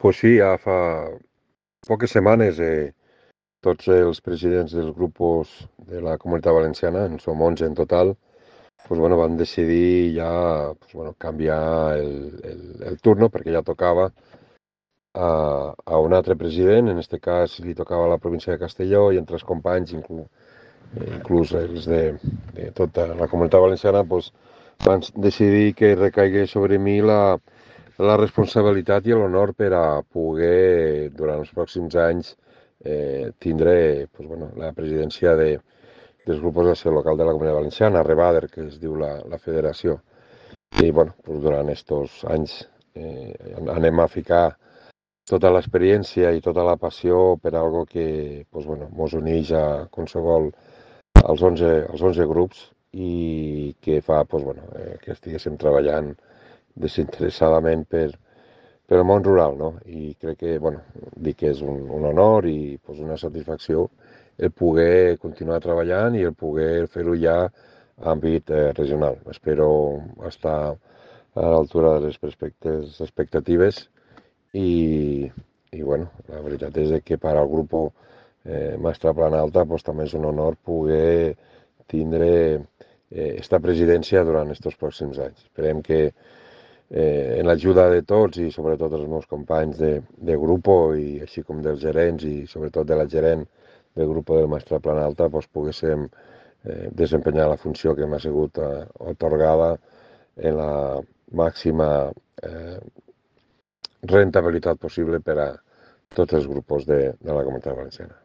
Pues sí, ja fa poques setmanes tots els presidents dels grups de la Comunitat Valenciana, en som 11 en total, pues bueno, van decidir ja canviar el turno perquè ja tocava a un altre president, en aquest cas li tocava a la província de Castelló i entre els companys, inclús els de tota la Comunitat Valenciana, pues, van decidir que recaigués sobre mi la responsabilitat i l'honor per a poder, durant els pròxims anys, tindre la presidència dels grups d'acció local de la Comunitat Valenciana, Rebader, que es diu la federació. I durant aquests anys anem a ficar tota l'experiència i tota la passió per algo que mos uneix a qualsevol als 11 grups i que fa que estiguéssim treballant desinteressadament per el món rural, no? I crec que, dic que és un honor i una satisfacció el poder continuar treballant i el poder fer-ho ja a àmbit regional. Espero estar a l'altura de les expectatives i la veritat és que per al grup Mastra Plana Alta també és un honor poder tindre esta presidència durant aquests pròxims anys. Esperem que en l'ajuda de tots i sobretot dels meus companys de grup i així com dels gerents i sobretot de la gerent del grup del Mastra Plana Alta poguéssim desempenyar la funció que m'ha sigut atorgada en la màxima rentabilitat possible per a tots els grups de la Comunitat Valenciana.